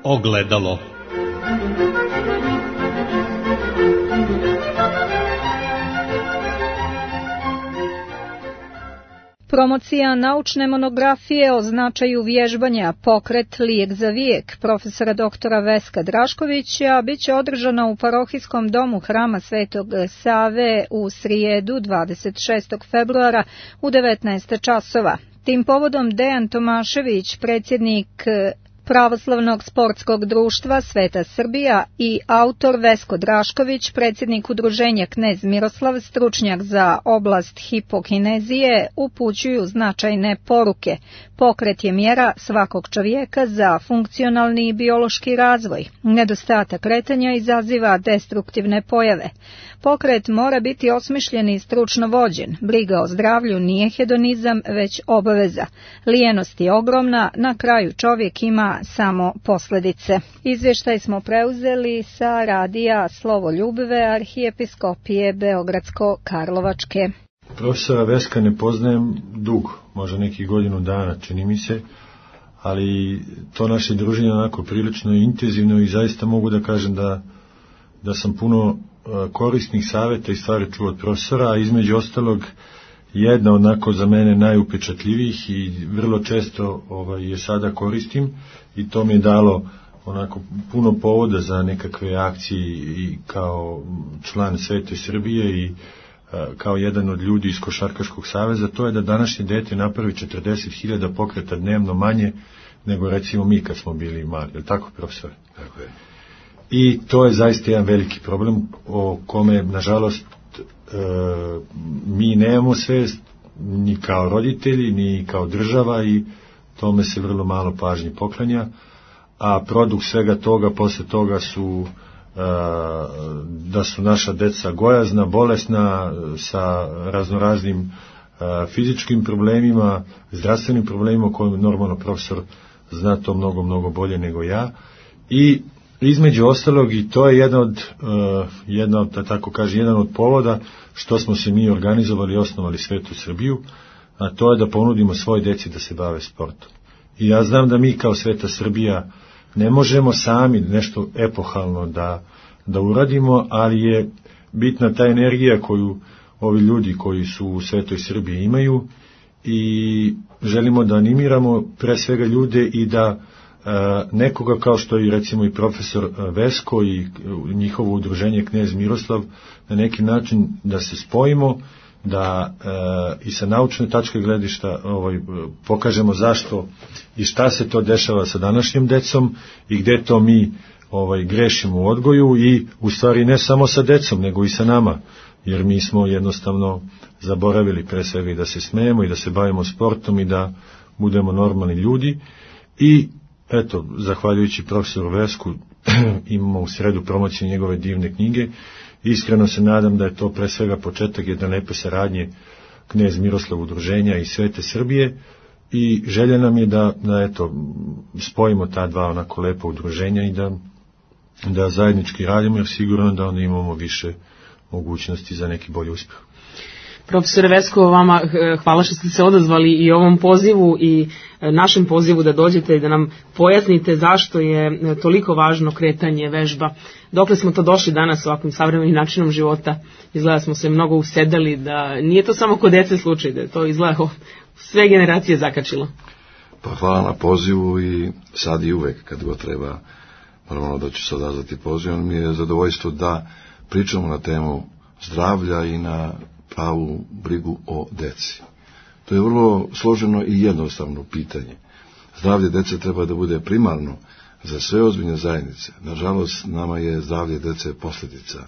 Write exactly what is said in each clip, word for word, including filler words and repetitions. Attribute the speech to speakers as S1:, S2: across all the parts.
S1: Ogledalo.
S2: Promocija naučne monografije o značaju vježbanja Pokret lijek za vijek profesora doktora Veska Draškovića biće održana u parohijskom domu Hrama Svetog Save u srijedu dvadeset šestog februara u devetnaest časova. Tim povodom Dejan Tomašević, predsjednik Pravoslavnog sportskog društva Sveta Srbija, i autor Vesko Drašković, predsjednik udruženja Knez Miroslav, stručnjak za oblast hipokinezije, upućuju značajne poruke. Pokret je mjera svakog čovjeka za funkcionalni i biološki razvoj. Nedostatak kretanja izaziva destruktivne pojave. Pokret mora biti osmišljen i stručno vođen. Briga o zdravlju nije hedonizam, već obaveza. Lijenost je ogromna, na kraju čovjek ima samo posljedice. Izvještaj smo preuzeli sa radija Slovoljubive arhijepiskopije Beogradsko-Karlovačke.
S3: Profesora Veska ne poznajem dugo, možda nekih godinu dana, čini mi se, ali to naše druženje onako prilično intenzivno i zaista mogu da kažem da, da sam puno korisnih savjeta i stvari čuo od profesora, a između ostalog jedna onako za mene najupečatljivijih i vrlo često ovaj, je sada koristim i to mi je dalo onako puno povoda za nekakve akcije i kao član Svete Srbije i a, kao jedan od ljudi iz Košarkaškog saveza, to je da današnje dete napravi četrdeset hiljada pokreta dnevno manje nego recimo mi kad smo bili mali. Je li tako, profesor?
S4: Tako je.
S3: I to je zaista jedan veliki problem o kome, nažalost, e, mi nemamo svest ni kao roditelji, ni kao država i tome se vrlo malo pažnje poklanja, a produkt svega toga posle toga su e, da su naša deca gojazna, bolesna, sa raznoraznim e, fizičkim problemima, zdravstvenim problemima o kojima normalno profesor zna to mnogo, mnogo bolje nego ja. I između ostalog, i to je jedan od, uh, jedna od, da tako kaže, jedan od povoda što smo se mi organizovali i osnovali Svetu Srbiju, a to je da ponudimo svoj deci da se bave sportom. I ja znam da mi kao Sveta Srbija ne možemo sami nešto epohalno da, da uradimo, ali je bitna ta energija koju ovi ljudi koji su u Svetoj Srbiji imaju i želimo da animiramo pre svega ljude i da nekoga kao što je recimo i profesor Vesko i njihovo udruženje Knez Miroslav, na neki način da se spojimo, da e, i sa naučne tačke gledišta ovaj, pokažemo zašto i šta se to dešava sa današnjim decom i gde to mi ovaj, grešimo u odgoju i u stvari ne samo sa decom nego i sa nama, jer mi smo jednostavno zaboravili pre svega i da se smejemo i da se bavimo sportom i da budemo normalni ljudi. I eto, zahvaljujući profesoru Vesku imamo u sredu promociju njegove divne knjige. Iskreno se nadam da je to pre svega početak jedne lepe saradnje Knez Miroslav udruženja i Svete Srbije i želja nam je da, da eto, spojimo ta dva onako lepa udruženja i da, da zajednički radimo, jer sigurno da onda imamo više mogućnosti za neki bolji uspjeh.
S5: Profesore Vesko, vama hvala što ste se odazvali i ovom pozivu i našem pozivu da dođete i da nam pojasnite zašto je toliko važno kretanje, vežba. Dokle smo to došli danas ovakvim savremenim načinom života? Izgleda smo se mnogo usedali, da nije to samo kod dece slučaj, da je to izgleda sve generacije zakačilo.
S4: Pa hvala na pozivu i sad i uvek kad go treba, normalno da ću se odazvati pozivom. Mi je zadovoljstvo da pričamo na temu zdravlja i na pravu brigu o deci. To je vrlo složeno i jednostavno pitanje. Zdravlje dece treba da bude primarno za sve ozbiljne zajednice. Nažalost, nama je zdravlje dece posljedica.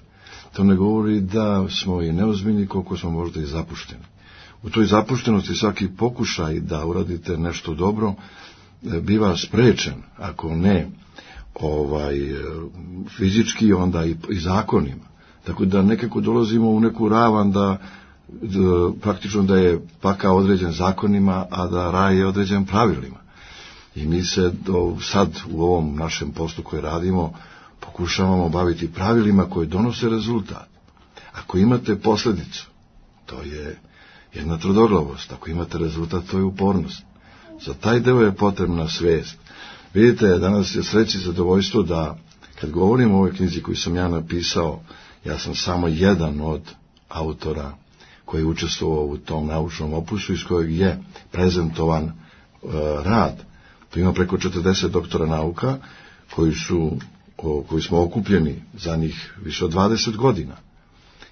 S4: To ne govori da smo i neozbiljni, koliko smo možda i zapušteni. U toj zapuštenosti svaki pokušaj da uradite nešto dobro biva sprečen, ako ne ovaj fizički, onda i, i zakonima. Tako da nekako dolazimo u neku ravan da, da praktično da je pakao određen zakonima, a da raj je određen pravilima. I mi se do, sad u ovom našem poslu koji radimo pokušavamo baviti pravilima koji donose rezultat. Ako imate posljedicu, to je jedna tvrdoglavost. Ako imate rezultat, to je upornost. Za taj deo je potrebna svest. Vidite, danas je sreći zadovoljstvo da, kad govorim o ovoj knjizi koju sam ja napisao, ja sam samo jedan od autora koji je učestvovao u tom naučnom opusu iz kojeg je prezentovan e, rad. To ima preko četrdeset doktora nauka koji su, o, koji smo okupljeni za njih više od dvadeset godina.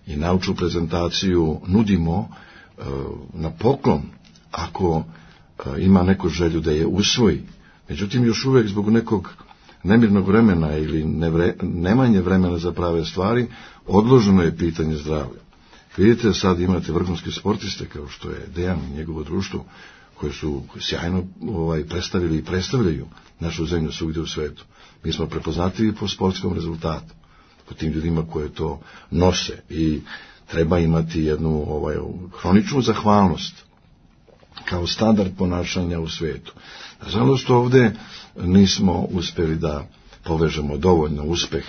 S4: I naučnu prezentaciju nudimo e, na poklon ako e, ima neko želju da je usvoji. Međutim, još uvijek zbog nekog nemirnog vremena ili nevre, nemanje vremena za prave stvari, odloženo je pitanje zdravlja. Vidite, sad imate vrhunske sportiste kao što je Dejan i njegovo društvo, koje su sjajno ovaj, predstavili i predstavljaju našu zemlju svugdje u svetu. Mi smo prepoznatljivi po sportskom rezultatu, po tim ljudima koje to nose i treba imati jednu ovaj, hroničnu zahvalnost kao standard ponašanja u svetu. Nažalost, ovdje nismo uspjeli da povežemo dovoljno uspeh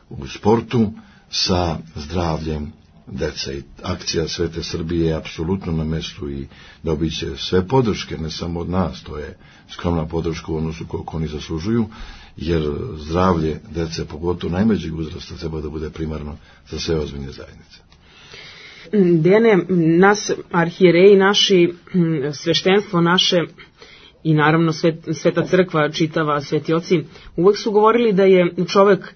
S4: u sportu sa zdravljem dece. I akcija Svete Srbije je apsolutno na mjestu i dobit će sve podrške, ne samo od nas, to je skromna podrška u odnosu koliko oni zaslužuju, jer zdravlje dece, pogotovo najmlađeg uzrasta, treba da bude primarno za sve ozbiljne zajednice.
S5: Dejane, nas arhijereji naši, sveštenstvo naše i naravno svet, Sveta crkva, čitava, sveti oci, uvek su govorili da je čovek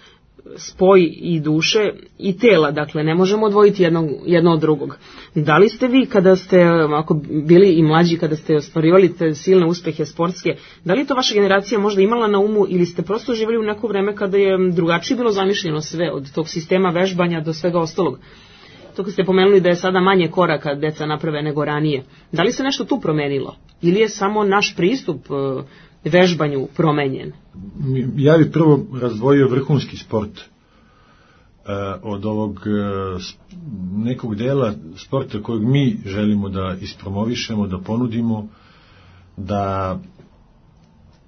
S5: spoj i duše i tela, dakle ne možemo odvojiti jedno, jedno od drugog. Da li ste vi, kada ste ako bili i mlađi, kada ste ostvarivali te silne uspehe sportske, da li to vaša generacija možda imala na umu ili ste prosto živjeli u neko vreme kada je drugačije bilo zamišljeno sve, od tog sistema vežbanja do svega ostalog? To kad ste pomenuli da je sada manje koraka deca naprave nego ranije. Da li se nešto tu promenilo? Ili je samo naš pristup vežbanju promenjen?
S3: Ja bih prvo razdvojio vrhunski sport e, od ovog e, nekog dela sporta kojeg mi želimo da ispromovišemo, da ponudimo, da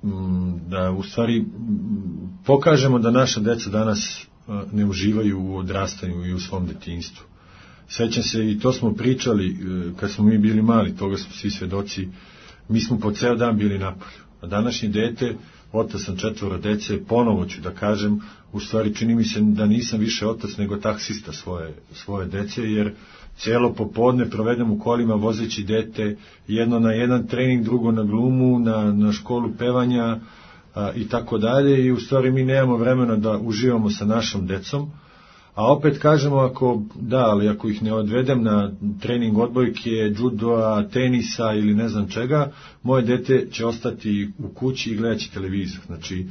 S3: m, da u stvari pokažemo da naša deca danas e, ne uživaju u odrastanju i u svom detinjstvu. Sećam se, i to smo pričali e, kad smo mi bili mali, toga smo svi svedoci, mi smo po ceo dan bili napolju. A današnje dete, otac sam četvoro dece, ponovo ću da kažem, u stvari čini mi se da nisam više otac nego taksista svoje, svoje dece, jer cijelo popodne provedem u kolima vozeći dete, jedno na jedan trening, drugo na glumu, na, na školu pevanja a, i tako dalje, i u stvari mi nemamo vremena da uživamo sa našom decom. A opet kažemo, ako da, ali ako ih ne odvedem na trening odbojke, judoa, tenisa ili ne znam čega, moje dete će ostati u kući i gledat će televizor. Znači,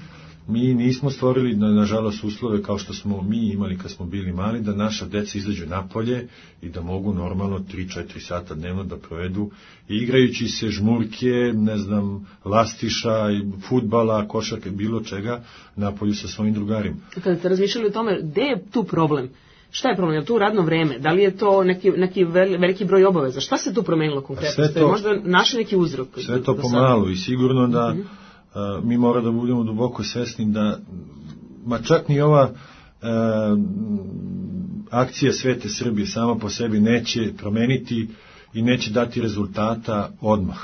S3: mi nismo stvorili, nažalost, uslove kao što smo mi imali kad smo bili mali, da naša deca izađu napolje i da mogu normalno tri do četiri sata dnevno da provedu igrajući se žmurke, ne znam, lastiša, fudbala, košarke, bilo čega napolju sa svojim drugarima.
S5: Kada ste razmišljali o tome, gde je tu problem? Šta je problem? Je to radno vreme? Da li je to neki, neki veliki broj obaveza? Šta se tu promenilo konkretno? Ste možda našli neki uzrok?
S3: Sve to pomalo i sigurno da mm-hmm. Uh, mi mora da budemo duboko svesni da, ma čak ni ova uh, akcija Svete Srbije sama po sebi neće promeniti i neće dati rezultata odmah.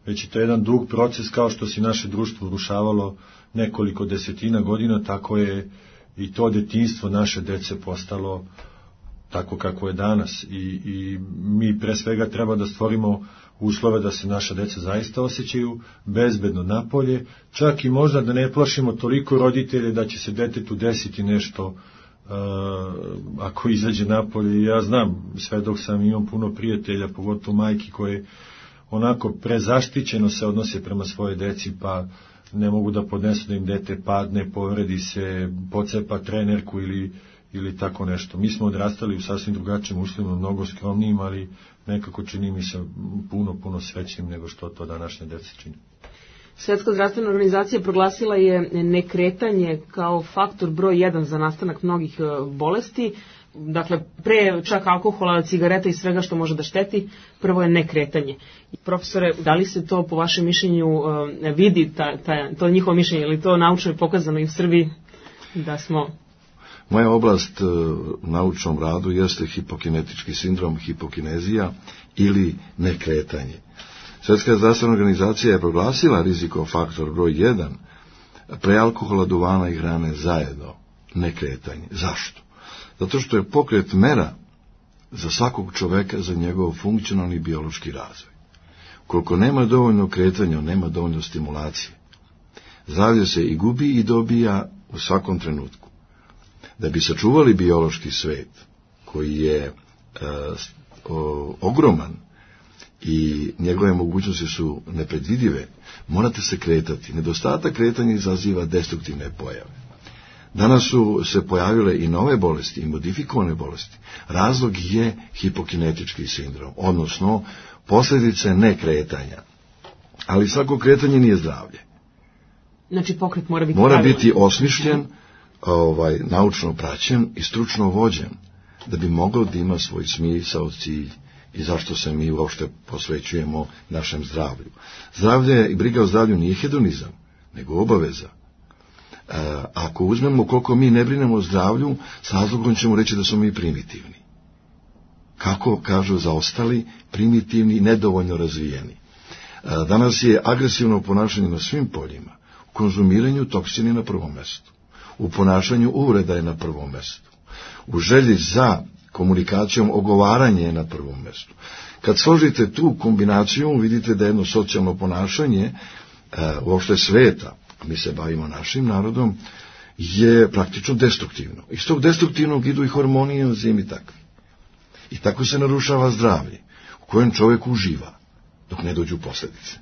S3: Već je to jedan dug proces, kao što se naše društvo urušavalo nekoliko desetina godina, tako je i to detinjstvo naše dece postalo tako kako je danas. I, i mi pre svega treba da stvorimo uslove da se naša deca zaista osjećaju bezbedno napolje, čak i možda da ne plašimo toliko roditelje da će se detetu desiti nešto uh, ako izađe napolje. Ja znam, sve dok sam imam puno prijatelja, pogotovo majki koje onako prezaštićeno se odnose prema svoje deci, pa ne mogu da podnesu da im dete padne, povredi se, pocepa trenerku ili ili tako nešto. Mi smo odrastali u sasvim drugačijim uslovima, mnogo skromnijim, ali nekako čini mi se puno, puno srećnim nego što to današnje dece čini.
S5: Svetska zdravstvena organizacija proglasila je nekretanje kao faktor broj jedan za nastanak mnogih bolesti. Dakle, pre čak alkohola, cigareta i svega što može da šteti, prvo je nekretanje. Profesore, da li se to po vašem mišljenju vidi, ta, ta, to njihovo mišljenje, ili to naučno je pokazano i u Srbiji da smo...
S4: Moja oblast u naučnom radu jeste hipokinetički sindrom, hipokinezija ili nekretanje. Svjetska zdravstvena organizacija je proglasila rizikofaktor broj jedan pre alkohola, duvana i hrane zajedno, ne kretanje. Zašto? Zato što je pokret mera za svakog čoveka, za njegov funkcionalni biološki razvoj. Koliko nema dovoljno kretanja, nema dovoljno stimulacije. Zdravlje se i gubi i dobija u svakom trenutku. Da bi sačuvali biološki svet, koji je e, o, ogroman i njegove mogućnosti su nepredvidive, morate se kretati. Nedostatak kretanja izaziva destruktivne pojave. Danas su se pojavile i nove bolesti, i modifikovane bolesti. Razlog je hipokinetički sindrom, odnosno posljedice nekretanja. Ali svako kretanje nije zdravlje.
S5: Znači pokret mora biti
S4: mora
S5: pravilan.
S4: biti osmišljen, ovaj, naučno praćen i stručno vođen, da bi mogao da ima svoj smisao, cilj i zašto se mi uopšte posvećujemo našem zdravlju. Zdravlje i briga o zdravlju nije hedonizam, nego obaveza. E, ako uzmemo koliko mi ne brinemo o zdravlju, s razlogom ćemo reći da smo mi primitivni. Kako kažu zaostali, primitivni, nedovoljno razvijeni. E, danas je agresivno ponašanje na svim poljima. U konzumiranju toksini na prvom mestu. U ponašanju uvreda je na prvom mestu. U želji za komunikacijom ogovaranje je na prvom mestu. Kad složite tu kombinaciju, vidite da jedno socijalno ponašanje e, uopšte sveta, mi se bavimo našim narodom, je praktično destruktivno. Iz tog destruktivnog idu i hormoni i enzimi takvi. I tako se narušava zdravlje, u kojem čovjek uživa, dok ne dođu posljedice.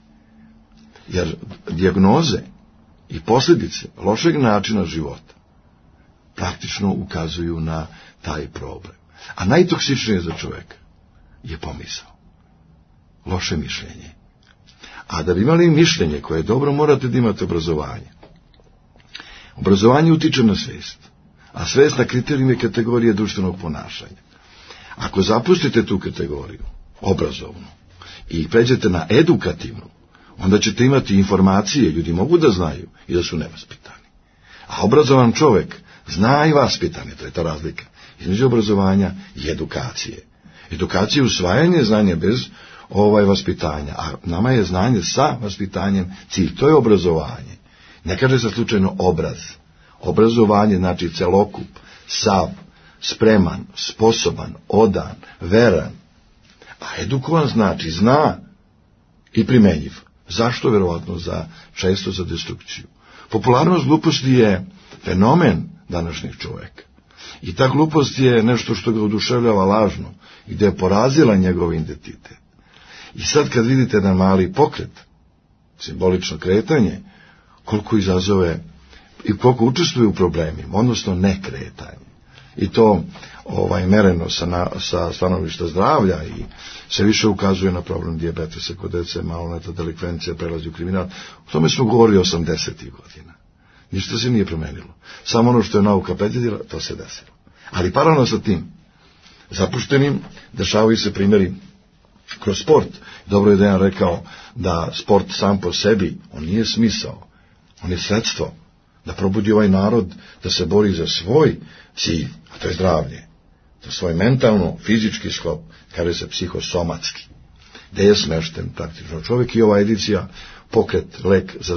S4: Jer dijagnoze i posljedice lošeg načina života praktično ukazuju na taj problem. A najtoksičnije za čovjeka je pomisao. Loše mišljenje. A da bi imali mišljenje koje je dobro, morate da imate obrazovanje. Obrazovanje utiče na svijest, a svijest na kriterijume kategorije društvenog ponašanja. Ako zapustite tu kategoriju, obrazovnu, i pređete na edukativnu, onda ćete imati informacije, ljudi mogu da znaju i da su nevaspitani. A obrazovan čovjek zna i vaspitan je, to je ta razlika između obrazovanja i edukacije. Edukacija je usvajanje znanja bez ovaj vaspitanja, a nama je znanje sa vaspitanjem cilj, to je obrazovanje. Ne kaže se slučajno obraz. Obrazovanje znači celokup, sav, spreman, sposoban, odan, veran. A edukovan znači zna i primenjiv. Zašto? Verovatno za, često za destrukciju. Popularnost gluposti je fenomen današnjih čovjeka. I ta glupost je nešto što ga oduševljava lažno, gdje je porazila njegov identitet. I sad kad vidite jedan mali pokret, simbolično kretanje, koliko izazove i koliko učestvuje u problemima, odnosno nekretanje. I to ovaj, mereno sa, na, sa stanovišta zdravlja i se više ukazuje na problem dijabetesa kod dece, maloleta, delikvencija, prelazi u kriminal. O tome smo govorili osamdesetih godina. Ništa se nije promenilo. Samo ono što je nauka predvidjela, to se desilo. Ali paralelno sa tim, zapuštenim, dešavaju se primjeri kroz sport. Dobro je da je rekao da sport sam po sebi, on nije smisao, on je sredstvo da probudi ovaj narod da se bori za svoj cilj, a to je zdravlje, za svoj mentalno, fizički sklop, kaže se psihosomatski, gde je smešten praktično čovjek. I ova edicija pokret lek za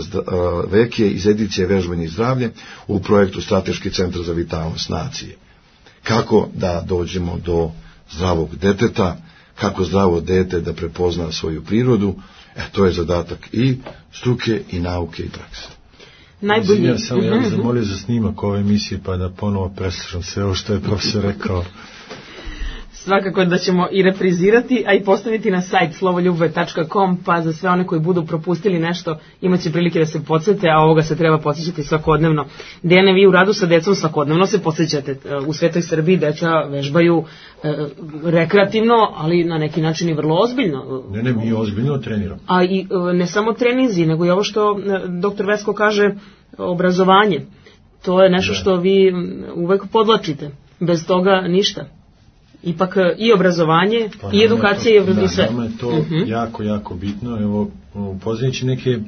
S4: vek je iz edicije vežbanje i zdravlje u projektu Strateški centar za vitalnost nacije. Kako da dođemo do zdravog deteta, kako zdravo dete da prepozna svoju prirodu, e, to je zadatak i struke i nauke i prakse.
S2: Najbolji.
S3: Ja sam ja zamolio za snimak ove emisije pa da ponovo preslušam sve ovo što je profesor rekao.
S5: Svakako da ćemo i reprizirati, a i postaviti na sajt slovoljubove tačka com, pa za sve one koji budu propustili nešto imat će prilike da se podsjete, a ovoga se treba podsjećati svakodnevno. Dejane, vi u radu sa decom svakodnevno se podsjećate. U svetoj Srbiji deca vežbaju e, rekreativno, ali na neki način i vrlo ozbiljno.
S3: Ne, ne, mi ozbiljno treniramo.
S5: A i e, ne samo treninzi, nego i ovo što e, doktor Vesko kaže, obrazovanje. To je nešto što vi uvek podlačite. Bez toga ništa. Ipak i obrazovanje, pa i edukacija to, i sve.
S3: Da, nama je to uh-huh. jako, jako bitno. Evo, upoznajući neke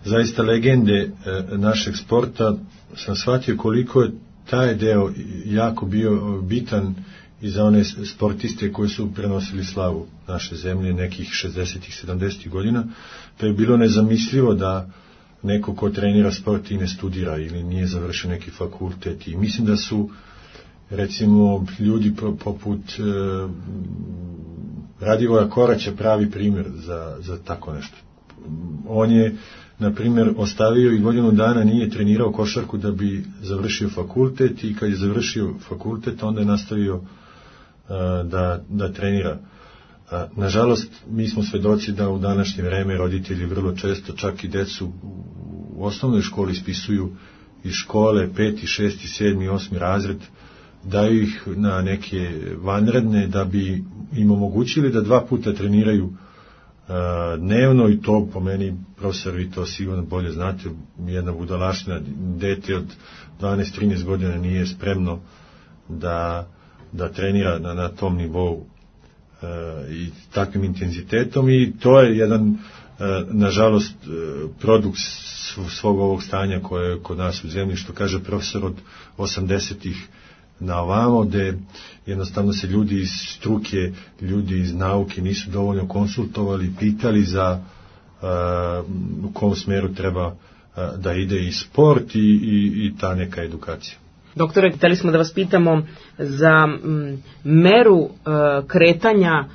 S3: zaista legende e, našeg sporta, sam shvatio koliko je taj deo jako bio bitan i za one sportiste koji su prenosili slavu naše zemlje nekih šezdesetih, sedamdesetih godina, pa je bilo nezamislivo da neko ko trenira sport i ne studira ili nije završio neki fakultet. I mislim da su recimo ljudi poput e, Radivoja Koraća pravi primjer za, za tako nešto. On je, na primjer, ostavio i godinu dana nije trenirao košarku da bi završio fakultet, i kad je završio fakultet onda je nastavio uh, da, da trenira. Uh, nažalost, mi smo svedoci da u današnje vreme roditelji vrlo često čak i decu u osnovnoj školi ispisuju iz škole peti, šesti, sedmi, osmi razred, daju ih na neke vanredne da bi im omogućili da dva puta treniraju dnevno, i to po meni, profesor, vi to sigurno bolje znate, jedna budalaština, dete od dvanaest trinaest godina nije spremno da, da trenira na, na tom nivou e, i takvim intenzitetom, i to je jedan e, nažalost produkt svog ovog stanja koje je kod nas u zemlji, što kaže profesor, od osamdesetih na ovamo, gde jednostavno se ljudi iz struke, ljudi iz nauke nisu dovoljno konsultovali, pitali za uh, u kom smeru treba uh, da ide i sport i, i, i ta neka edukacija.
S5: Doktore, hteli smo da vas pitamo za m, meru uh, kretanja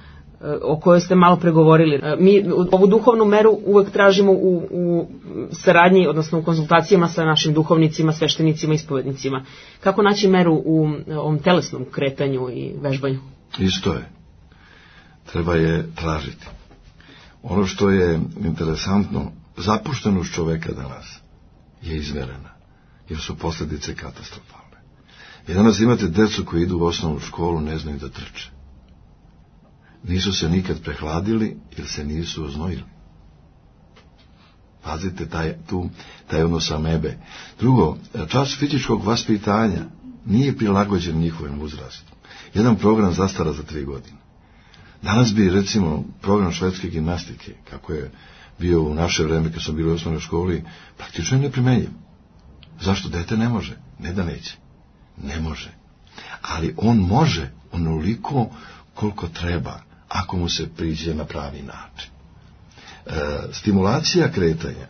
S5: o kojoj ste malo pregovorili. Mi ovu duhovnu meru uvek tražimo u, u saradnji, odnosno u konzultacijama sa našim duhovnicima, sveštenicima i ispovednicima. Kako naći meru u ovom telesnom kretanju i vežbanju?
S4: Isto je. Treba je tražiti. Ono što je interesantno, zapuštenost čoveka danas je izmerena, jer su posljedice katastrofalne. I danas imate decu koji idu u osnovnu školu, ne znaju da trče. Nisu se nikad prehladili jer se nisu oznojili. Pazite taj, tu, taj odnos amebe. Drugo, čas fizičkog vaspitanja nije prilagođen njihovim uzrastu. Jedan program zastara za tri godine. Danas bi, recimo, program švedske gimnastike, kako je bio u naše vreme kad smo bili u osnovnoj školi, praktično je neprimenjiv. Zašto? Dete ne može. Ne da neće. Ne može. Ali on može onoliko koliko treba, ako mu se priđe na pravi način. E, stimulacija kretanja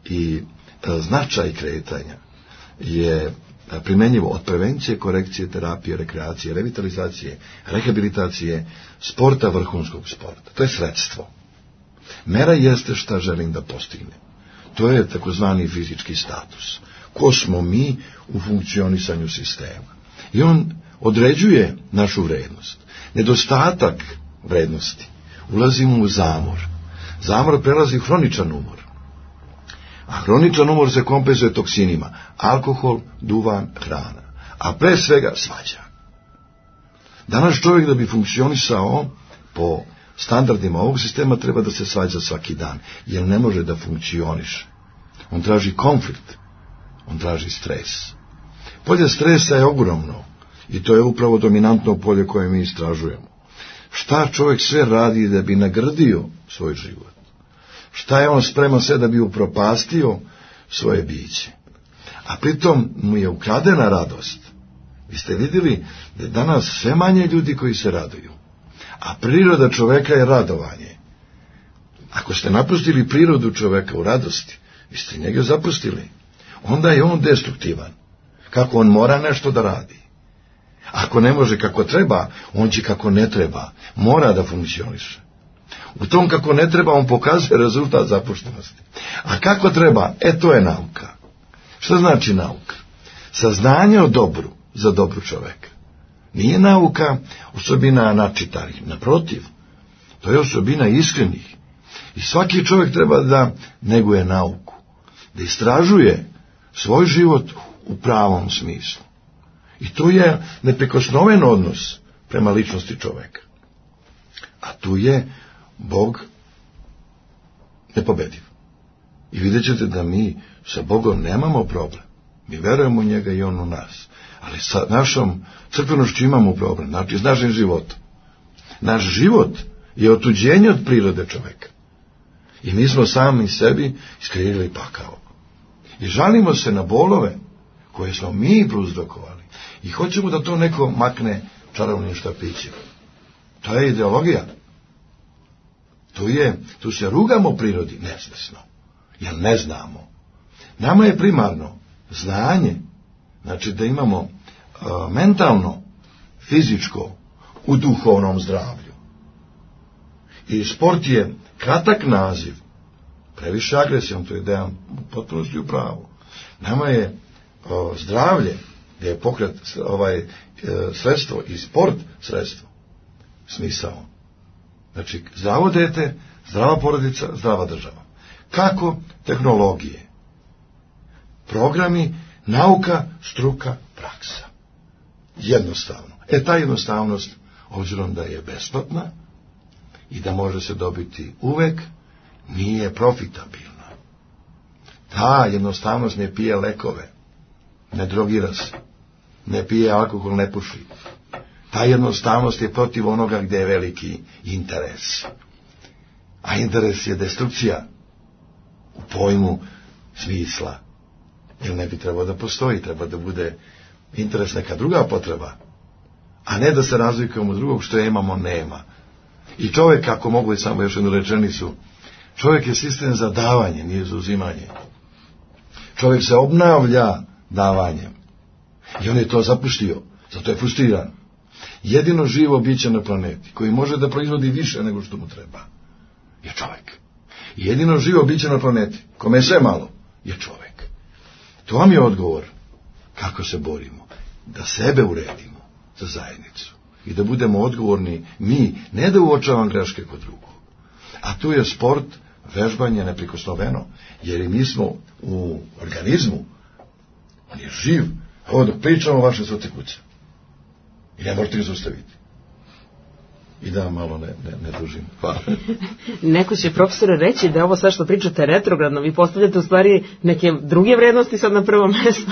S4: i e, značaj kretanja je primenjivo od prevencije, korekcije, terapije, rekreacije, revitalizacije, rehabilitacije, sporta, vrhunskog sporta. To je sredstvo. Mera jeste šta želim da postignem. To je takozvani fizički status. Ko smo mi u funkcionisanju sistema. I on određuje našu vrednost. Nedostatak vrednosti. Ulazimo u zamor. Zamor prelazi u hroničan umor. A hroničan umor se kompenzuje toksinima. Alkohol, duvan, hrana. A pre svega svađa. Danas čovjek da bi funkcionisao po standardima ovog sistema treba da se svađa svaki dan. Jer ne može da funkcioniše. On traži konflikt. On traži stres. Polje stresa je ogromno. I to je upravo dominantno polje koje mi istražujemo. Šta čovjek sve radi da bi nagrdio svoj život? Šta je on spreman sve da bi upropastio svoje biće? A pritom mu je ukradena radost. Vi ste vidjeli da je danas sve manje ljudi koji se raduju. A priroda čoveka je radovanje. Ako ste napustili prirodu čoveka u radosti, vi ste njega zapustili. Onda je on destruktivan. Kako on mora nešto da radi. Ako ne može kako treba, on će kako ne treba. Mora da funkcioniše. U tom kako ne treba, on pokazuje rezultat zapuštenosti. A kako treba? E, to je nauka. Što znači nauka? Saznanje o dobru za dobru čoveka. Nije nauka osobina načitanih. Naprotiv, to je osobina iskrenih. I svaki čovjek treba da neguje nauku. Da istražuje svoj život u pravom smislu. I to je neprikosnoven odnos prema ličnosti čoveka. A tu je Bog nepobediv. I vidjet ćete da mi sa Bogom nemamo problem. Mi verujemo u njega i on u nas. Ali sa našom crkvenošću imamo problem. Znači s našim životom. Naš život je otuđenje od prirode čoveka. I mi smo sami sebi iskrivili pakao. I žalimo se na bolove koje smo mi prouzrokovali. I hoćemo da to neko makne čarovnim štapićem. To je ideologija. Tu, je, tu se rugamo prirodi nesvesno. jer ne znamo. Nama je primarno znanje, znači da imamo uh, mentalno, fizičko u duhovnom zdravlju. I sport je kratak naziv, previše agresijom, to je Dejan u potpunosti u pravu. Nama je uh, zdravlje, gdje je pokret ovaj, uh, sredstvo i sport sredstvo, smisao. Znači, zdravo dete, zdrava porodica, zdrava država. Kako? Tehnologije, programi, nauka, struka, praksa. Jednostavno. E, ta jednostavnost, obzirom da je besplatna i da može se dobiti uvek, nije profitabilna. Ta jednostavnost ne pije lekove, ne drogira se, ne pije alkohol, ne puši. Ta jednostavnost je protiv onoga gdje je veliki interes. A interes je destrukcija u pojmu smisla. Jer ne bi trebao da postoji, treba da bude interes neka druga potreba, a ne da se razlikujemo od drugog što imamo, nema. I čovjek, ako mogu i samo još jednu rečenicu, čovjek je sistem za davanje, nije za uzimanje. Čovjek se obnavlja davanjem. I on je to zapuštio, zato je frustriran. Jedino živo biće na planeti, koji može da proizvodi više nego što mu treba, je čovjek. I jedino živo biće na planeti, kome je sve malo, je čovjek. To vam je odgovor kako se borimo. Da sebe uredimo za zajednicu. I da budemo odgovorni mi, ne da uočavam greške kod drugog. A tu je sport, vežbanje neprikosnoveno, jer i mi smo u organizmu, on je živ. Ovo dok pričamo, vaše srce kuca. I ne možete ga zaustaviti. I da malo ne, ne, ne dužim. Hvala.
S5: Neko će, profesore, reći da je ovo sve što pričate retrogradno. Vi postavljate u stvari neke druge vrednosti sad na prvo mjesto.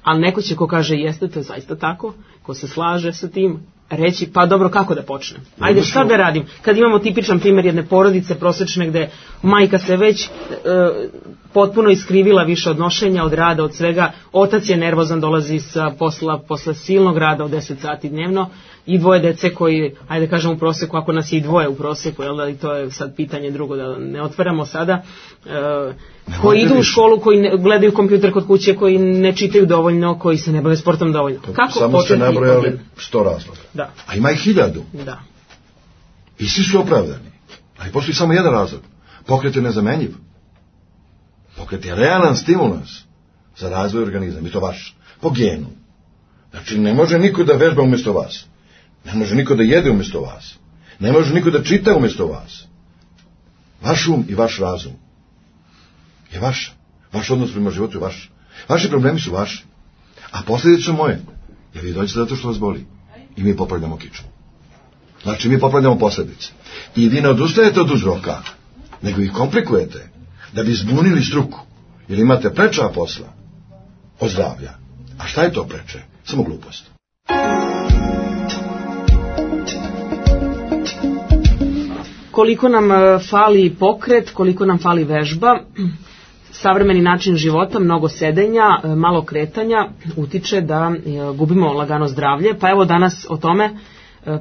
S5: A neko će ko kaže jeste, to je zaista tako, ko se slaže sa tim, reći pa dobro, kako da počnem? Ajde, šta da radim? Kad imamo tipičan primjer jedne porodice prosječne gde majka se već e, potpuno iskrivila više odnošenja od rada, od svega, otac je nervozan, dolazi sa posla posle silnog rada od deset sati dnevno i dvoje dece koji, ajde kažem u prosjeku, ako nas je i dvoje u prosjeku, jel da, i to je sad pitanje drugo da ne otvaramo sada, e, koji idu u školu, koji ne, gledaju kompjuter kod kuće, koji ne čitaju dovoljno, koji se ne bave sportom dovoljno. Kako
S4: samo ste nabrojali sto razloga.
S5: Da.
S4: A ima i hiljadu.
S5: Da.
S4: I svi su opravdani. Ali postoji samo jedan razlog. Pokret je nezamenjiv. Pokret je realan stimulans za razvoj organizma. I to vaš. Po genu. Znači, ne može niko da vežba umjesto vas. Ne može niko da jede umjesto vas. Ne može niko da čita umjesto vas. Vaš um i vaš razum je vaš. Vaš odnos prema životu je vaš. Vaši problemi su vaši. A posljedice su moje. Jer vi dođete zato što vas boli. I mi popravljamo kiču. Znači, mi popravljamo posljedice. I vi ne odustajete od uzroka, nego ih komplikujete, da bi zbunili struku. Jer imate preča posla od zdravlja. A šta je to preče? Samo glupost.
S5: Koliko nam fali pokret, koliko nam fali vežba, savremeni način života, mnogo sedenja, malo kretanja, utiče da gubimo lagano zdravlje. Pa evo danas o tome,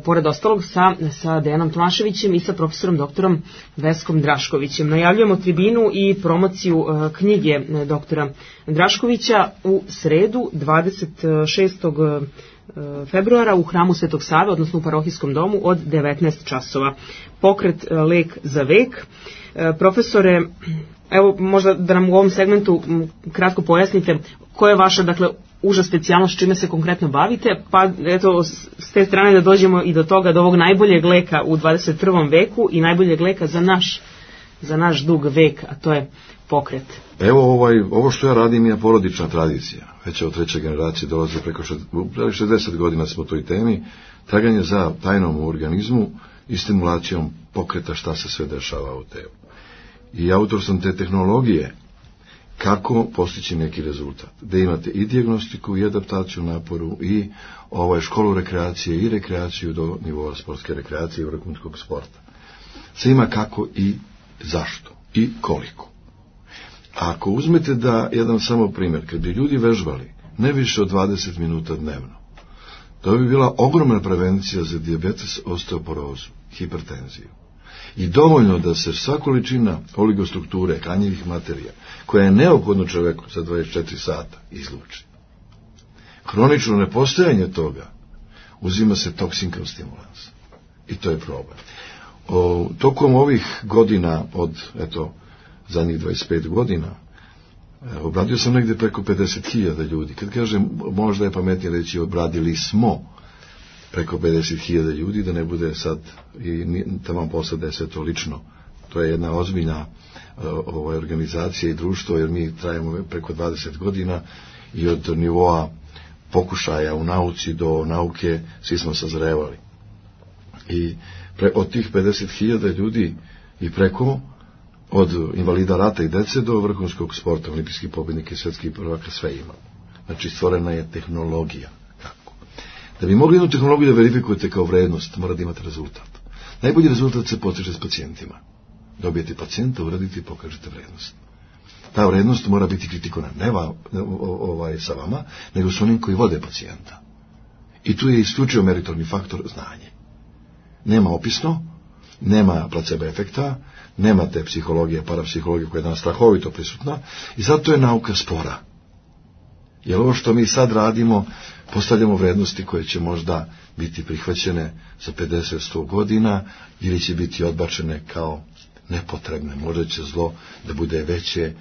S5: pored ostalog, sa, sa Dejanom Tomaševićem i sa profesorom doktorom Veskom Draškovićem. Najavljujemo tribinu i promociju knjige doktora Draškovića u sredu dvadeset šestog februara u hramu Svetog Save, odnosno u parohijskom domu od devetnaest časova. Pokret lek za vek. Profesore, evo možda da nam u ovom segmentu kratko pojasnite koja je vaša, dakle, uža specijalnost, čime se konkretno bavite, pa eto s te strane da dođemo i do toga, do ovog najboljeg leka u dvadeset prvom veku i najboljeg leka za naš, za naš dug vek, a to je pokret.
S4: Evo ovaj, ovo što ja radim je porodična tradicija. Već od treće generacije dolazi preko šezdeset godina smo u toj temi, traganje za tajnom u organizmu i stimulacijom pokreta šta se sve dešava u telu. I autor sam te tehnologije kako postići neki rezultat. Da imate i dijagnostiku, i adaptaciju naporu, i ovaj, školu rekreacije, i rekreaciju do nivoa sportske rekreacije i vrhunskog sporta. Sve ima kako i zašto, i koliko. Ako uzmete da, jedan samo primjer, kad bi ljudi vežbali ne više od dvadeset minuta dnevno, to bi bila ogromna prevencija za dijabetes, osteoporozu, hipertenziju. I dovoljno da se sva količina oligostrukture, hranjivih materija, koja je neophodno čoveku za dvadeset četiri sata, izluči. Hronično nepostojanje toga uzima se toksin kao stimulans. I to je problem. O, tokom ovih godina, od, eto, zadnjih dvadeset pet godina, obradio sam negde preko pedeset hiljada ljudi. Kad kažem, možda je pametnije reći obradili smo preko pedeset hiljada ljudi, da ne bude sad i tamo posle da je sve to lično. To je jedna ozbiljna ovaj, organizacija i društvo, jer mi trajemo preko dvadeset godina i od nivoa pokušaja u nauci do nauke svi smo sazrevali. I pre, od tih pedeset hiljada ljudi i preko, od invalida rata i dece do vrhunskog sporta, olimpijskih pobjednika i svjetskih prvaka, sve ima. Znači, stvorena je tehnologija. Kako? Da bi mogli jednu tehnologiju da verifikujete kao vrednost, mora da imate rezultat. Najbolji rezultat se postiže s pacijentima. Dobijete pacijenta, uradite i pokažete vrednost. Ta vrednost mora biti kritikovana, ne va, ovaj, sa vama, nego s onim koji vode pacijenta. I tu je isključio meritorni faktor znanje. Nema opisno, nema placebo efekta, nema te psihologije, parapsihologije koja je danas strahovito prisutna i zato je nauka spora. Jer ovo što mi sad radimo, postavljamo vrednosti koje će možda biti prihvaćene za pedeset do sto godina ili će biti odbačene kao nepotrebne. Možda će zlo da bude veće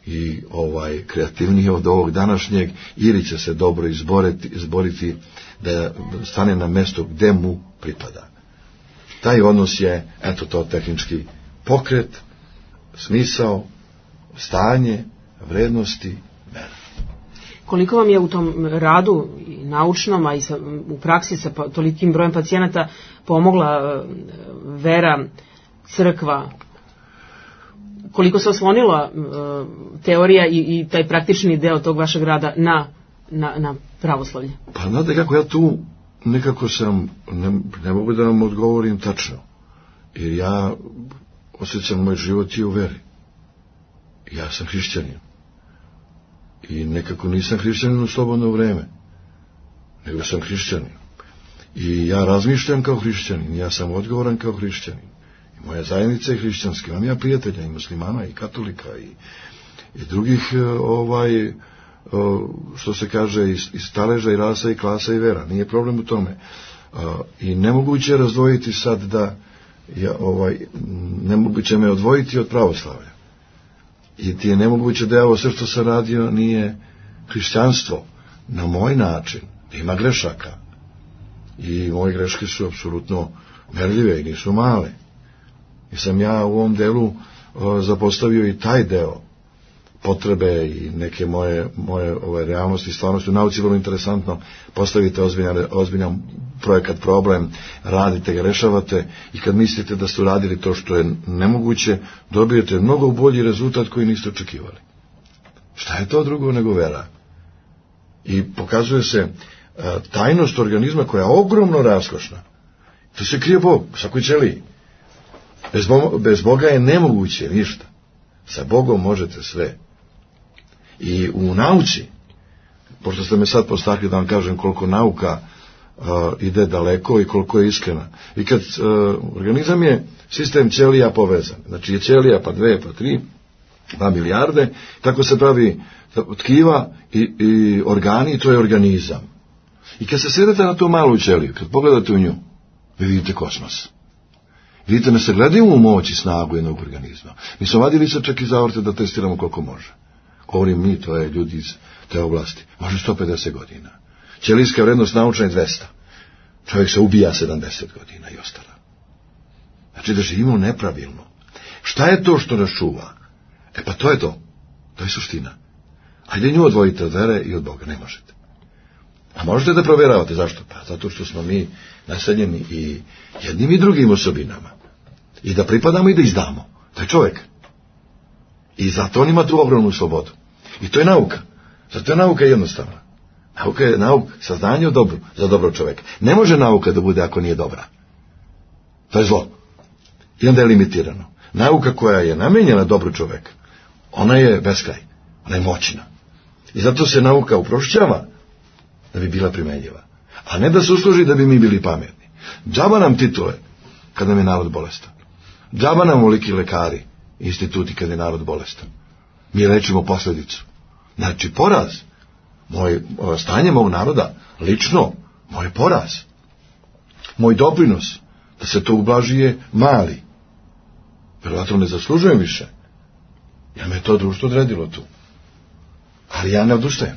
S4: i ovaj kreativnije od ovog današnjeg, ili će se dobro izboriti, izboriti da stane na mesto gde mu pripada. Taj odnos je, eto to, tehnički pokret, smisao, stanje, vrednosti, vera.
S5: Koliko vam je u tom radu i naučnom, a i sa, u praksi sa tolikim brojem pacijenata pomogla vera, crkva? Koliko se oslonila uh, teorija i, i taj praktični deo tog vašeg rada na, na, na pravoslavlje?
S4: Pa znate kako, ja tu nekako sam, ne, ne mogu da vam odgovorim tačno, jer ja osjećam moj život i u veri. Ja sam hrišćanin. I nekako nisam hrišćanin u slobodno vreme, nego sam hrišćanin. I ja razmišljam kao hrišćanin, ja sam odgovoran kao hrišćanin. I moja zajednica je hrišćanska, imam ja prijatelja i muslimana i katolika i, i drugih ovaj, što se kaže iz, iz staleža i rasa i klasa i vera. Nije problem u tome. I nemoguće je razdvojiti sad da ja, ovaj, nemoguće me odvojiti od pravoslavlja. I ti je nemoguće da je ovo sve što sam radio nije hrišćanstvo na moj način. Ima grešaka. I moje greške su apsolutno merljive i nisu male. I sam ja u ovom delu o, zapostavio i taj deo potrebe i neke moje, moje ove realnosti i stvarnosti. U nauci je vrlo interesantno, postavite ozbiljan, ozbiljan projekat, problem, radite ga, rešavate i kad mislite da ste uradili to što je nemoguće, dobijete mnogo bolji rezultat koji niste očekivali. Šta je to drugo nego vera? I pokazuje se a, tajnost organizma koja je ogromno raskošna. To se krije Bog, u svakoj ćeliji. Bez, Bo, bez Boga je nemoguće ništa. Sa Bogom možete sve. I u nauci, pošto ste me sad postakli da vam kažem koliko nauka uh, ide daleko i koliko je iskrena. I kad uh, organizam je sistem ćelija povezan. Znači je ćelija pa dve, pa tri, dva milijarde, tako se pravi tkiva i, i organi, to je organizam. I kad se sjedete na tu malu ćeliju, kad pogledate u nju, vi vidite kosmos. Vidite, ne se gledaju u moć i snagu jednog organizma. Mi smo vadili se čak iz aorte da testiramo koliko može. Govorim mi, to je ljudi iz te oblasti. Može sto pedeset godina. Ćelijska vrednost naučna je dvesta. Čovjek se ubija sedamdeset godina i ostara. Znači da živimo nepravilno. Šta je to što nas čuva? E pa to je to. To je suština. Ajde nju odvojite od vere i od Boga. Ne možete. A možete da provjeravate. Zašto? Pa zato što smo mi naseljeni i jednim i drugim osobinama. I da pripadamo i da izdamo. To je čovjek. I zato on ima tu ogromnu slobodu. I to je nauka. Zato je nauka jednostavna. Nauka je nauk, saznanje o dobru, za dobro čovjeka. Ne može nauka da bude ako nije dobra. To je zlo. I onda je limitirano. Nauka koja je namenjena dobru čovjeka, ona je beskraj. Ona je moćna. I zato se nauka uprošćava da bi bila primenjiva. A ne da se usluži da bi mi bili pametni. Džaba nam titule kad nam je narod bolestan. Džaba nam oliki lekari, instituti kad je narod bolestan. Mi lečimo posledicu. Znači, poraz. Moje stanje mog naroda, lično, moj poraz. Moj doprinos, da se to ublaži je mali. Verovatno ne zaslužujem više. Jer me to društvo odredilo tu. Ali ja ne odustajem.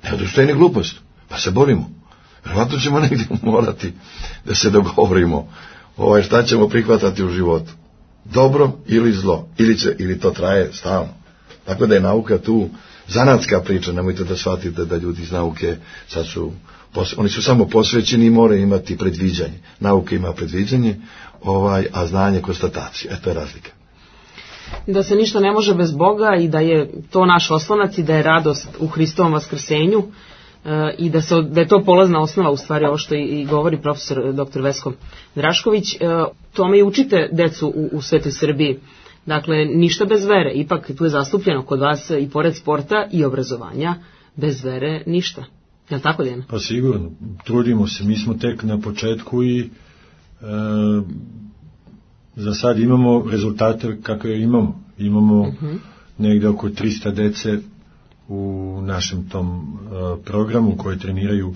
S4: Ne odustajem ni glupost. Pa se borimo. Verovatno ćemo negdje morati da se dogovorimo ovaj, šta ćemo prihvatati u životu. Dobro ili zlo. Ili, će, ili to traje stalno. Tako da je nauka tu zanatska priča. Nemojte da shvatite da ljudi iz nauke sad su, oni su samo posvećeni i moraju imati predviđanje. Nauka ima predviđanje, ovaj, a znanje konstatacije. E, to je razlika.
S5: Da se ništa ne može bez Boga i da je to naš oslonac i da je radost u Hristovom vaskrsenju e, i da, se, da je to polazna osnova, u stvari ovo što i, i govori profesor doktor Vesko Drašković. E, tome i učite decu u, u Svetoj Srbiji. Dakle, ništa bez vere. Ipak tu je zastupljeno kod vas i pored sporta i obrazovanja, bez vere ništa. Je li tako, Dejana?
S3: Pa sigurno. Trudimo se. Mi smo tek na početku i e, za sad imamo rezultate kakve imamo. Imamo uh-huh. negde oko tristo dece u našem tom uh, programu koji treniraju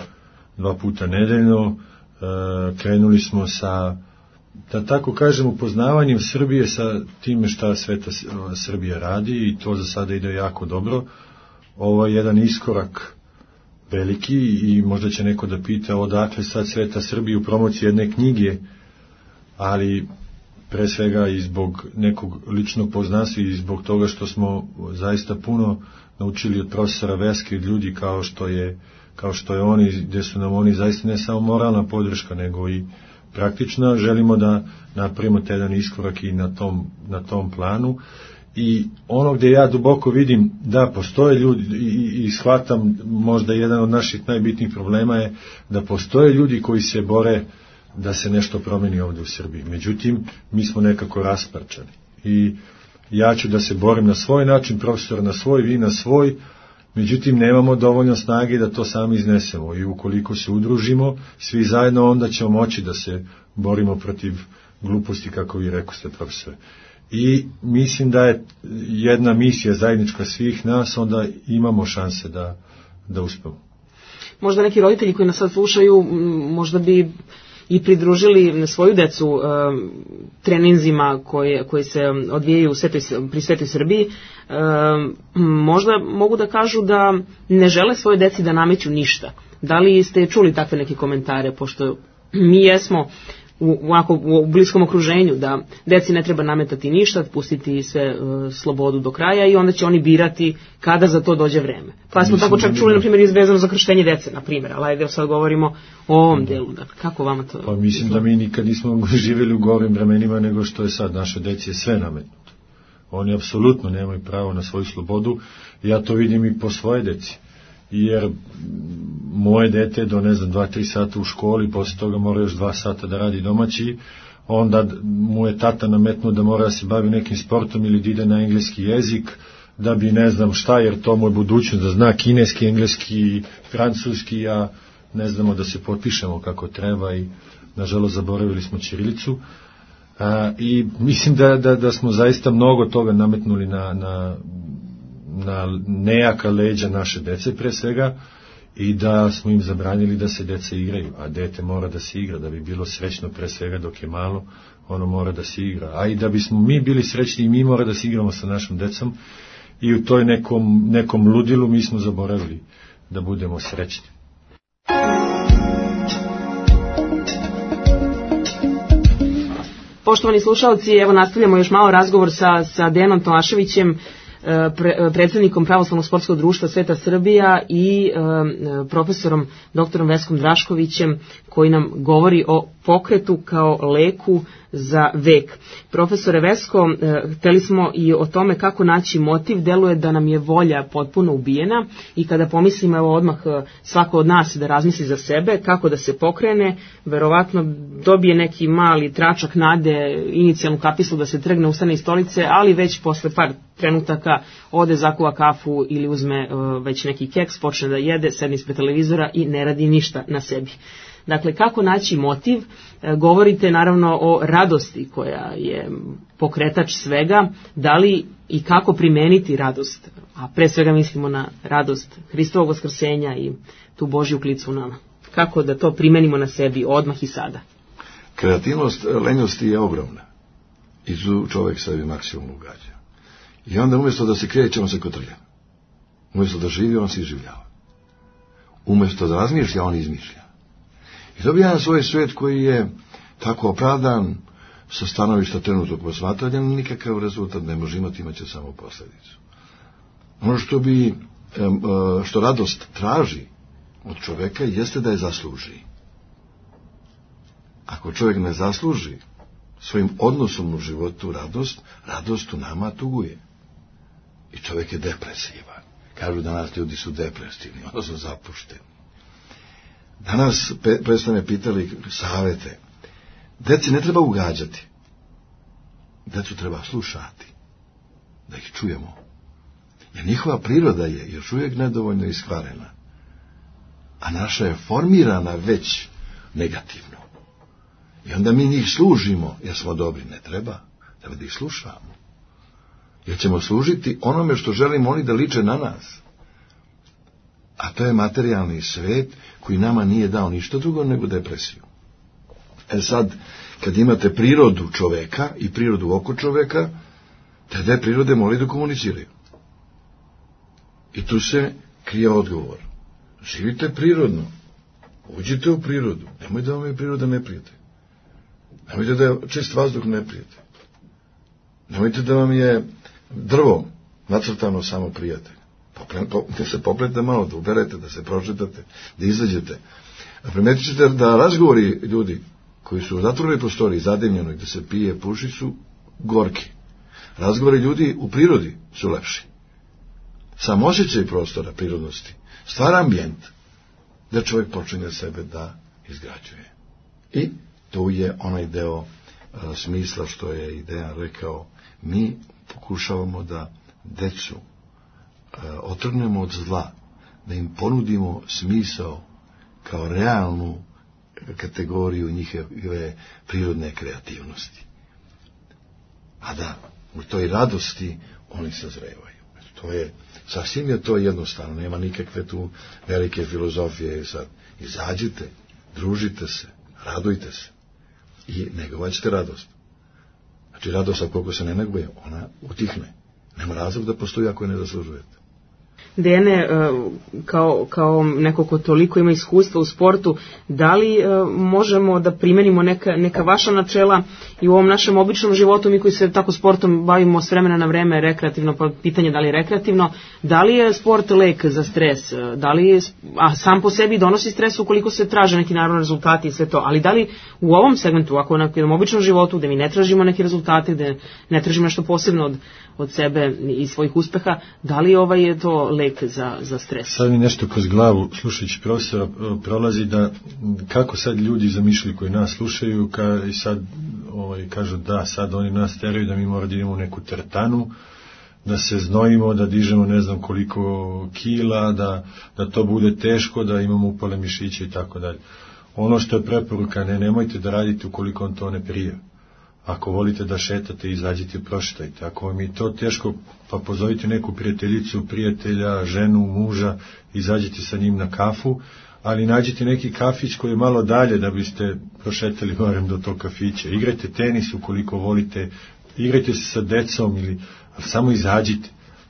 S3: dva puta nedeljno. Uh, krenuli smo sa, da tako kažem, upoznavanjem Srbije sa time šta Sveta Srbija radi i to za sada ide jako dobro. Ovo je jedan iskorak veliki i možda će neko da pita odakle sad Sveta Srbija u promociji jedne knjige, ali pre svega i zbog nekog ličnog poznanstva i zbog toga što smo zaista puno naučili od profesora Veske i od ljudi kao što je, kao što je oni, gde su nam oni zaista ne samo moralna podrška, nego i praktična. Želimo da napravimo taj jedan iskorak i na tom, na tom planu. I ono gde ja duboko vidim da postoje ljudi i, i shvatam možda jedan od naših najbitnijih problema je da postoje ljudi koji se bore da se nešto promeni ovdje u Srbiji. Međutim, mi smo nekako rasparčani. I ja ću da se borim na svoj način, profesor na svoj, vi na svoj, međutim, nemamo dovoljno snage da to sami iznesemo. I ukoliko se udružimo, svi zajedno, onda ćemo moći da se borimo protiv gluposti, kako vi rekoste, profesore. I mislim da je jedna misija zajednička svih nas, onda imamo šanse da, da uspemo.
S5: Možda neki roditelji koji nas sad slušaju, možda bi i pridružili svoju decu uh, treninzima koje, koji se odvijaju u Svetoj, pri Svetoj Srbiji, uh, možda mogu da kažu da ne žele svoje deci da nameću ništa. Da li ste čuli takve neke komentare, pošto mi jesmo u, onako, u bliskom okruženju, da deci ne treba nametati ništa, pustiti sve uh, slobodu do kraja i onda će oni birati kada za to dođe vreme. Pa smo tako čak čuli, na primjer, izvezano za krštenje dece, na primjer, ali ajde sad govorimo o ovom delu. Dakle, kako vama to?
S3: Pa mislim da mi nikad nismo živjeli u gorim vremenima nego što je sad. Naše deci je sve nametnuto. Oni apsolutno nemaju pravo na svoju slobodu. Ja to vidim i po svoje deci. Jer moje dete do, ne znam, dva, tri sata u školi, posle toga mora još dva sata da radi domaći, onda mu je tata nametnuo da mora da se bavi nekim sportom ili da ide na engleski jezik, da bi ne znam šta, jer to mu je budućnost, da zna kineski, engleski, francuski, a ne znamo da se potpišemo kako treba i nažalost zaboravili smo ćirilicu. A, i mislim da, da, da smo zaista mnogo toga nametnuli na, na, na nejaka leđa naše dece pre svega i da smo im zabranili da se deca igraju, a dete mora da se igra, da bi bilo srećno pre svega dok je malo, ono mora da se igra, a i da bismo mi bili srećni i mi mora da se igramo sa našom decom i u toj nekom, nekom ludilu mi smo zaboravili da budemo srećni.
S5: Poštovani slušalci, evo nastavljamo još malo razgovor sa, sa Dejanom Tomaševićem, pre, predsjednikom Pravoslavnog sportskog društva Sveta Srbija i e, profesorom doktorom Veskom Draškovićem, koji nam govori o pokretu kao leku za vek. Profesore Vesko, e, hteli smo i o tome kako naći motiv. Deluje da nam je volja potpuno ubijena i kada pomislimo, evo odmah svako od nas da razmisli za sebe kako da se pokrene, verovatno dobije neki mali tračak nade, inicijalnu kapislu da se trgne, ustane iz stolice, ali već posle par trenutaka ode, zakuva kafu ili uzme uh, već neki keks, počne da jede, sedne ispred televizora i ne radi ništa na sebi. Dakle, kako naći motiv? Govorite naravno o radosti koja je pokretač svega, da li i kako primeniti radost, a pre svega mislimo na radost Hristovog vaskrsenja i tu Božju klicu u nama. Kako da to primenimo na sebi odmah i sada?
S4: Kreativnost lenjosti je ogromna i tu čovjek sebi maksimum ugađa. I onda umjesto da se kreće, on se kotrlja. Umjesto da živi, on se iživljava. Umjesto da razmišlja, on izmišlja. I dobija jedan svoj svijet koji je tako opravdan sa stanovišta trenutnog posmatranja, nikakav rezultat ne može imati, imat će samo posljedicu. Ono što bi, što radost traži od čovjeka jeste da je zasluži. Ako čovjek ne zasluži svojim odnosom u životu radost, radost u nama tuguje. I čovjek je depresivan. Kažu danas ljudi su depresivni, odnosno zapušteni. Danas pre ste me pitali savete. Deci ne treba ugađati. Decu treba slušati. Da ih čujemo. Jer njihova priroda je još uvijek nedovoljno iskvarena. A naša je formirana već negativno. I onda mi njih služimo, jer smo dobri. Ne treba. Treba da ih slušamo. Jer ćemo služiti onome što želimo oni da liče na nas. A to je materijalni svet koji nama nije dao ništa drugo nego depresiju. E sad, kad imate prirodu čoveka i prirodu oko čoveka, te dve prirode moraju da komuniciraju. I tu se krije odgovor. Živite prirodno. Uđite u prirodu. Nemoj da vam je priroda neprijatelj. Nemojte da je čist vazduh neprijatelj. Nemojte da vam je drvo nacrtano samo prijatelj. Da se popletite malo, da uberete, da se pročetate, da izađete. A primetit ćete da razgovori ljudi koji su u zatvorenoj prostoriji, zadimljenoj, gde se pije, puši, su gorki. Razgovori ljudi u prirodi su lepši. Sam osjećaj prostora, prirodnosti, stvara ambijent da čovjek počinje sebe da izgrađuje. I to je onaj deo a, smisla što je ideja rekao. Mi pokušavamo da decu a, otrgnemo od zla, da im ponudimo smisao kao realnu kategoriju njihove prirodne kreativnosti. A da u toj radosti oni sazrevaju. To je, sasvim je to jednostavno, nema nikakve tu velike filozofije. Sad, izađite, družite se, radujte se i negovat ćete radost. Znači radost, koliko se ne neguje, ona utihne. Nema razlog da postoji ako je ne zaslužujete.
S5: Dejane, kao, kao neko ko toliko ima iskustva u sportu, da li možemo da primenimo neka, neka vaša načela i u ovom našem običnom životu, mi koji se tako sportom bavimo s vremena na vreme rekreativno, pa pitanje da li je rekreativno, da li je sport lek za stres, da li je, a sam po sebi donosi stres ukoliko se traže neki naravno rezultati i sve to, ali da li u ovom segmentu, ako na jednom običnom životu, gde mi ne tražimo neki rezultate, gde ne tražimo nešto posebno od, od sebe i svojih uspeha, da li ovaj je to lek za, za stres?
S3: Sad mi nešto kroz glavu, slušajući profesora, prolazi da kako sad ljudi zamišljaju koji nas slušaju ka, i sad ovaj, kažu da sad oni nas teraju da mi moramo da idemo u neku teretanu, da se znojimo, da dižemo ne znam koliko kila, da, da to bude teško, da imamo upale mišiće i tako dalje. Ono što je preporuka, ne, nemojte da radite ukoliko on to ne prije. Ako volite da šetate, izađite i prošetajte. Ako vam je to teško, pa pozovite neku prijateljicu, prijatelja, ženu, muža, izađite sa njim na kafu, ali nađite neki kafić koji je malo dalje da biste prošetali barem do tog kafića. Igrajte tenis ukoliko volite, igrajte se sa decom, ili, ali samo izađite.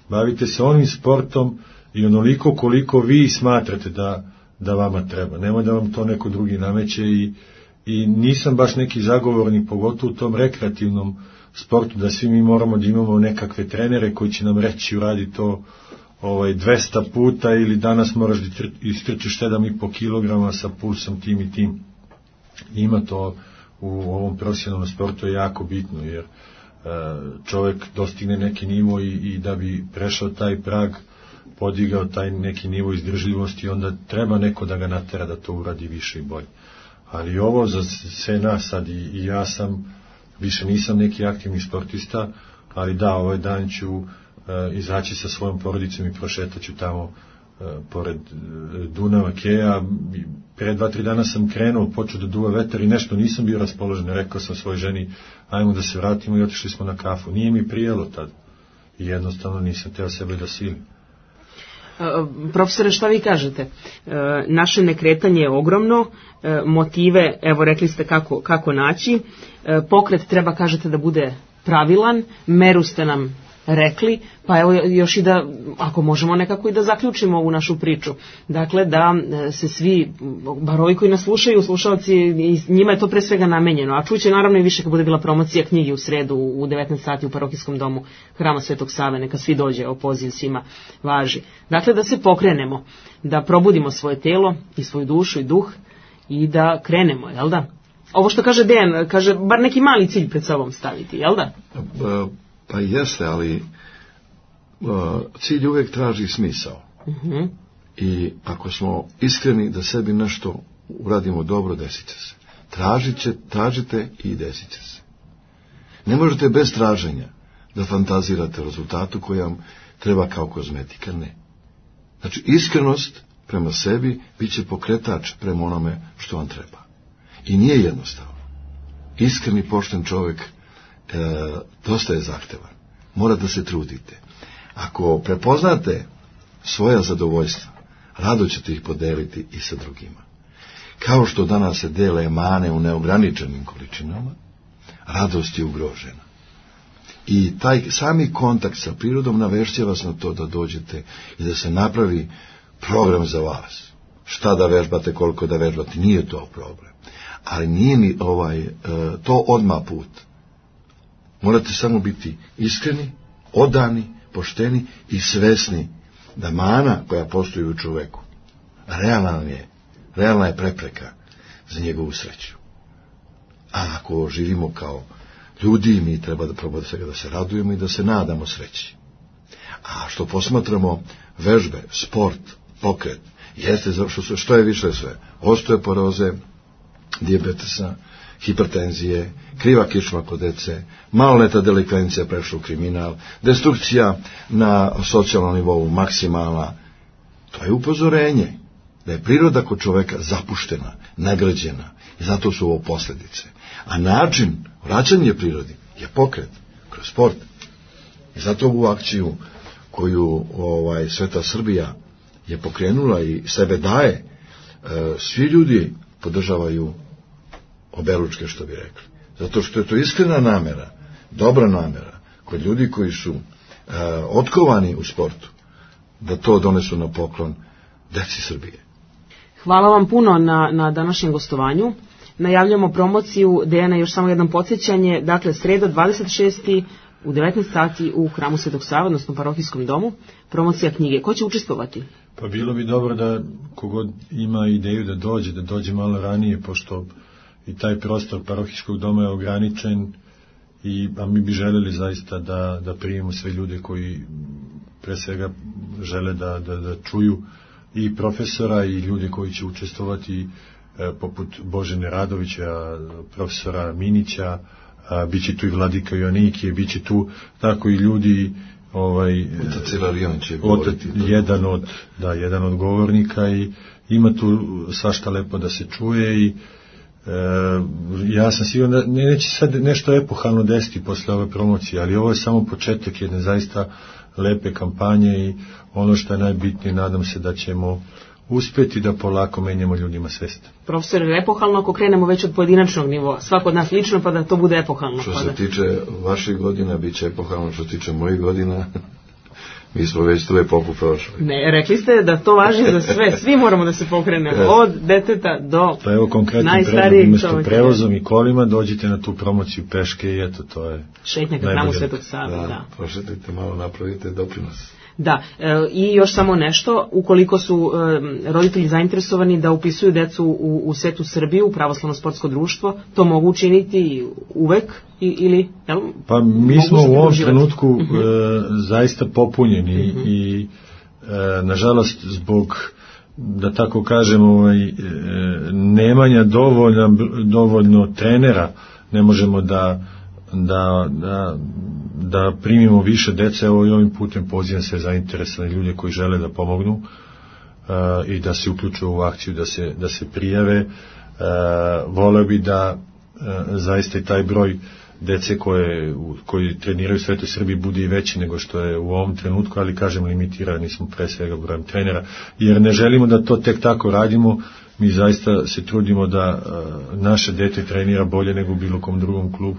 S3: Bavite se onim sportom i onoliko koliko vi smatrate da, da vama treba. Nemoj da vam to neko drugi nameće i I nisam baš neki zagovornik, pogotovo u tom rekreativnom sportu, da svi mi moramo da imamo nekakve trenere koji će nam reći uradi to ovaj, dvesta puta ili danas moraš da istrčiš sedam i po kilograma sa pulsom tim i tim. Ima to u ovom profesionalnom sportu je jako bitno, jer e, čovjek dostigne neki nivo i, i da bi prešao taj prag, podigao taj neki nivo izdržljivosti, onda treba neko da ga natera da to uradi više i bolje. Ali ovo za sve nas sad i, i ja sam, više nisam neki aktivni sportista, ali da, ovaj dan ću e, izaći sa svojom porodicom i prošetaću tamo pored Dunava, Keja. Pre dva, tri dana sam krenuo, počeo da duva vetar i nešto nisam bio raspoložen. Rekao sam svojoj ženi, ajmo da se vratimo i otišli smo na kafu. Nije mi prijelo tad i jednostavno nisam teo sebe da silim.
S5: Profesore, šta vi kažete? Naše nekretanje je ogromno, motive, evo rekli ste kako, kako naći, pokret treba, kažete, da bude pravilan, meru ste nam rekli, pa evo još i da, ako možemo nekako i da zaključimo ovu našu priču. Dakle, da se svi, bar ovi koji nas slušaju, slušalci, njima je to pre svega namenjeno, a čuće naravno i više kad bude bila promocija knjige u sredu u devetnaest sati u parohijskom domu Hrama Svetog Save, neka svi dođe, o poziv svima važi. Dakle, da se pokrenemo, da probudimo svoje telo i svoju dušu i duh i da krenemo, jel da? Ovo što kaže Dejan, kaže, bar neki mali cilj pred sobom staviti, jel da?
S4: Pa jeste, ali uh, cilj uvijek traži smisao. Uh-huh. I ako smo iskreni da sebi nešto uradimo dobro, desit će se. Tražite, tražite i desit će se. Ne možete bez traženja da fantazirate rezultatu koji vam treba kao kozmetika, ne. Znači, iskrenost prema sebi bit će pokretač prema onome što vam treba. I nije jednostavno. Iskreni, pošten čovjek E, dosta je zahtevan. Mora da se trudite. Ako prepoznate svoja zadovoljstva, rado ćete ih podeliti i sa drugima. Kao što danas se dele emane u neograničenim količinama, radost je ugrožena. I taj sami kontakt sa prirodom navešće vas na to da dođete i da se napravi program za vas. Šta da vežbate, koliko da vežbate, nije to problem. Ali nije ni ovaj, e, to odmah put. Morate samo biti iskreni, odani, pošteni i svesni da mana koja postoji u čoveku realna je, realna je prepreka za njegovu sreću. A ako živimo kao ljudi, mi treba da probamo svega da se radujemo i da se nadamo sreći. A što posmatramo vežbe, sport, pokret, jeste što, što je više sve, osteoporoze, dijabetesa, hipertenzije, kriva kičma kod dece, maloljetna delikvencija prešla u kriminal, destrukcija na socijalnom nivou maksimalna. To je upozorenje da je priroda kod čoveka zapuštena, nagrađena i zato su ovo posljedice. A način vraćanja prirodi je pokret kroz sport. I zato ovu akciju koju ovaj, Sveta Srbija je pokrenula i sebe daje, e, svi ljudi podržavaju oberučke, što bi rekli. Zato što je to iskrena namera, dobra namera, kod ljudi koji su e, otkovani u sportu, da to donesu na poklon deci Srbije.
S5: Hvala vam puno na, na današnjem gostovanju. Najavljamo promociju, Dejana, još samo jedno podsjećanje, dakle, sreda dvadeset šestog u devetnaest sati u Hramu Svetog Save, odnosno parohijskom domu, promocija knjige. Ko će učestvovati?
S3: Pa bilo bi dobro da kogod ima ideju da dođe, da dođe malo ranije, pošto i taj prostor parohijskog doma je ograničen, i, a mi bi željeli zaista da, da primimo sve ljude koji pre svega žele da, da, da čuju i profesora i ljude koji će učestvovati, e, poput Božene Radovića, profesora Minića, a, bit će tu i Vladika Joannikije, bit će tu tako i ljudi, ovaj,
S4: Otac Ilarion će
S3: govoriti. Jedan od, da, jedan od govornika, i ima tu svašta lepo da se čuje. I E, ja sam siguran da neće sad nešto epohalno desiti posle ove promocije, ali ovo je samo početak jedne zaista lepe kampanje, i ono što je najbitnije, nadam se da ćemo uspjeti da polako menjamo ljudima svest.
S5: Profesor, epohalno ako krenemo već od pojedinačnog nivoa, svako od nas lično, pa da to bude epohalno.
S4: Što
S5: pa
S4: se
S5: da...
S4: tiče vaših godina, bit će epohalno, što se tiče mojih godina, mi smo već tu epohu prošli.
S5: Ne, rekli ste da to važi za sve, svi moramo da se pokrenemo, od deteta do
S3: pa evo konkretni predlog, umjesto prevozom i kolima dođite na tu promociju peške, i eto, to je
S5: šetnja ka Hramu Svetog Save.
S4: Da,
S5: da.
S4: prošetite malo, napravite doprinos.
S5: Da, e, i još samo nešto, ukoliko su e, roditelji zainteresovani da upisuju decu u, u Svetu Srbiju, u Pravoslavno sportsko društvo, to mogu učiniti uvek i, ili... Jel,
S3: pa mi smo u ovom trenutku uh-huh. e, zaista popunjeni, uh-huh. i e, nažalost zbog, da tako kažemo, ovaj, e, nemanja dovoljno, dovoljno trenera, ne možemo da Da, da, da primimo više dece. Evo i ovim putem pozivam sve zainteresovane ljude koji žele da pomognu, i da se uključe u akciju, da se, da se prijave. Voleo bi da zaista i taj broj dece koje, koji treniraju u Svetoj Srbiji bude i veći nego što je u ovom trenutku, ali kažem limitirani smo pre svega brojem trenera, jer ne želimo da to tek tako radimo. Mi zaista se trudimo da naše dete trenira bolje nego u bilo kom drugom klubu.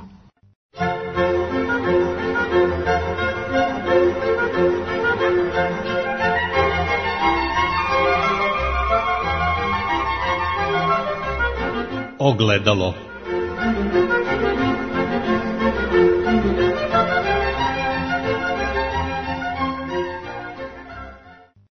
S1: Ogledalo.